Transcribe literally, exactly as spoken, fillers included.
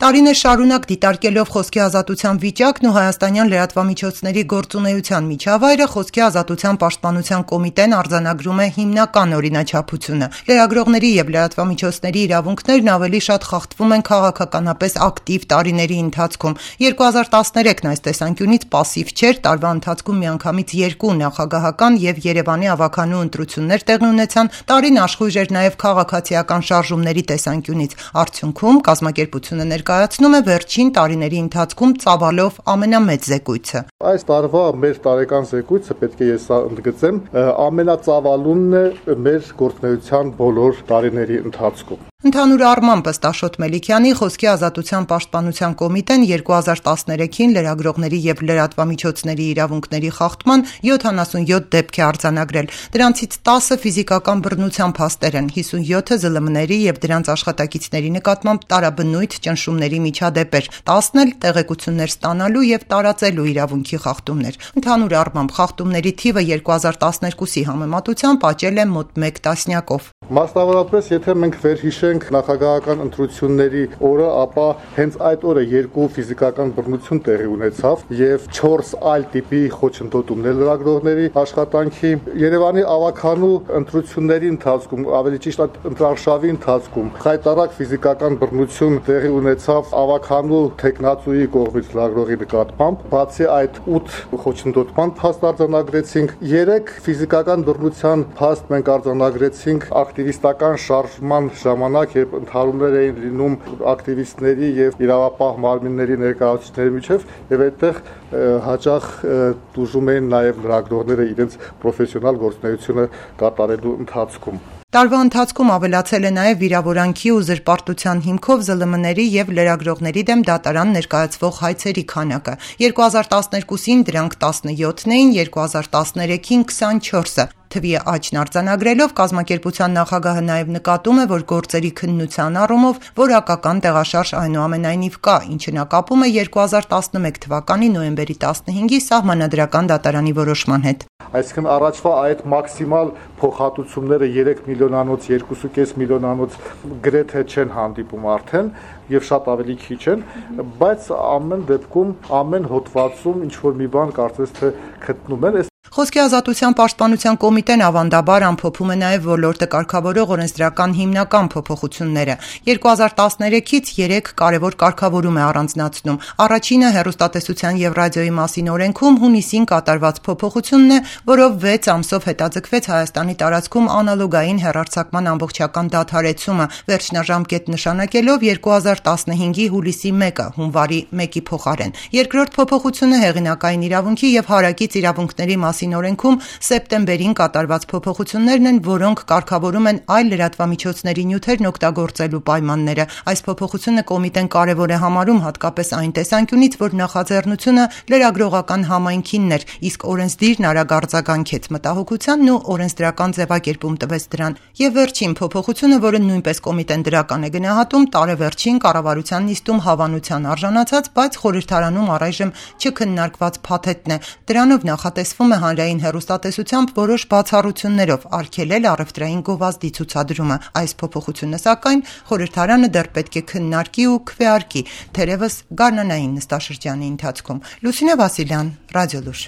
Տարիներ շարունակ դիտարկելով խոսքի ազատության վիճակն ու հայաստանյան լրատվամիջոցների գործունեության միջավայրը, խոսքի ազատության պաշտպանության կոմիտեն արձանագրում է հիմնական օրինաչափությունը։ Լրագրողների եւ լրատվամիջոցների իրավունքներն ավելի շատ խախտվում են քաղաքականապես ակտիվ տարիների ընթացքում։ երկու հազար տասներեքն այս տեսանկյունից պասիվ չէր, տարվա ընթացքում միանգամից երկու նախագահական եւ Երևանի ավականու ընտրություններ տեղի ունեցան, տարին աշխույժ էր նաեւ քաղաքացիական շարժումների տեսանկյունից։ Արդյունքում կազմակերպությունը ներկայացնում է վերջին տարիների ընթացքում ծավալով ամենամեծ զեկույցը։ Այս տարվա մեր տարեկան զեկույցը, պետք է ես ընդգծեմ, ամենածավալունն է մեր գործունեության բոլոր տարիների ընթացքում։ Ընդհանուր առմամբ, ըստ Աշոտ Մելիքյանի, խոսքի ազատության պաշտպանության կոմիտեն երկու հազար տասներեքին լրագրողների եւ լրատվամիջոցների իրավունքների խախտման յոթանասունյոթ դեպք է արձանագրել։ Դրանցից տասը ֆիզիկական բռնության փաստեր են, հիսունյոթը ԶԼՄ-ների եւ դրանց աշխատակիցների նկատմամբ տարաբնույթ ճնշումների միջադեպեր, տասն էլ տեղեկություններ ստանալու եւ տարածելու իրավունքի խախտումներ։ Ընդհանուր առմամբ, խախտումների թիվը երկու հազար տասներկուսի համեմատությամբ աճել է մոտ մեկ տասնյակով։ Մասնավորապես, եթե մենք վերհիշենք նախագահական ընտրությունների օրը, ապա հենց այդ օրը երկու ֆիզիկական բռնություն տեղի ունեցավ եւ չորս այլ տիպի խոչընդոտումներ լրագրողների աշխատանքի։ Երևանի ավականու ընտրությունների ընթացքում, ավելի ճիշտ ընտրարշավի ընթացքում, խայտարակ ֆիզիկական բռնություն տեղի ունեցավ ավականու տեխնացուի կողմից լրագրողի նկատմամբ։ Բացի այդ ութ խոչընդոտման փաստ արձանագրեցինք, երեք ֆիզիկական բռնության փաստ մենք արձանագրեցինք ակտիվիստական շարժման ժամանակ, երբ ընդհարումներ էին լինում ակտիվիստների եւ իրավապահ մարմինների ներկայացուցիչների միջև, եւ այդտեղ հաճախ դժում էին նաեւ լրագրողները իրենց պրոֆեսիոնալ գործունեությունը կատարելու ընթացքում։ Տարվա ընթացքում ավելացել է նաև վիրավորանքի ու զրպարտության հիմքով ԶԼՄ-ների եւ լրագրողների դեմ դատարան ներկայացվող հայցերի քանակը։ երկու հազար տասներկուսին դրանք տասնյոթն էին, երկու հազար տասներեքին քսանչորսը։ Թվի աճն արձանագրելով կազմակերպության նախագահը նաև նկատում է, որ գործերի քննության առումով որակական տեղաշարժ այնուամենայնիվ կա, ինչը նա կապում է երկու հազար տասնմեկ թվականի նոյեմբերի տասնհինգի սահմանադրական դատարանի որոշման հետ։ Այսինքն առաջվա այդ մաքսիմալ փոխհատուցումները երեք միլիոնանոց, երկու կես միլիոնանոց գրեթե չեն հանդիպում արդեն եւ շատ ավելի քիչ են, բայց ամեն դեպքում ամեն հոդվածում ինչ որ մի բան կարծես թե գտնում են։ Խոսքի ազատության պաշտպանության կոմիտեն ավանդաբար ամփոփում է նաև ոլորտը կարգավորող օրենսդրական հիմնական փոփոխությունները։ երկու հազար տասներեքից երեք կարևոր կարգավորում է առանձնացնում։ Առաջինը հեռուստատեսության եւ ռադիոյի մասին օրենքում հունիսին կատարված փոփոխությունն է, որով վեց ամսով հետաձգվեց Հայաստանի տարածքում անալոգային հեռարձակման ամբողջական դադարեցումը, վերջնաժամկետ նշանակելով երկու հազար տասնհինգի հուլիսի մեկը, հունվարի մեկի փոխարեն։ Երկրորդ փոփոխությունը հեղինակային իրավունքի եւ հարակից իրավունքների մասին օրենքում սեպտեմբերին կատարված փոփոխություններն են, որոնք կարգավորում են այլ լրատվամիջոցների նյութերն օգտագործելու պայմանները։ Այս փոփոխությունը կոմիտեն կարևոր է համարում հատկապես այն տեսանկյունից, որ նախաձեռնությունը լրագրողական համայնքինն էր, իսկ օրենսդիրն արագ արձագանքեց մտահոգությանն ու օրենսդրական ձևակերպում տվեց դրան։ Եվ վերջին փոփոխությունը, որը նույնպես կոմիտեն դրական է գնահատում, տարեվերջին կառավարության նիստում հավանության արժանացած, բայց խորհրդարանում առայժմ չքննարկված փաթեթն է։ Դրանով նախատեսվում է հանրային հեռուստատեսությամբ որոշ բացառություններով արգելել առևտրային գովազդի ցուցադրումը։ Այս փոփոխությունը, սակայն, խորհրդարանը դեռ պետք է քննարկի ու քվեարկի, թերևս գարնանային նստաշրջանի ընթացքում։ Լուսինե Վասիլյան, Ռադիոլուր։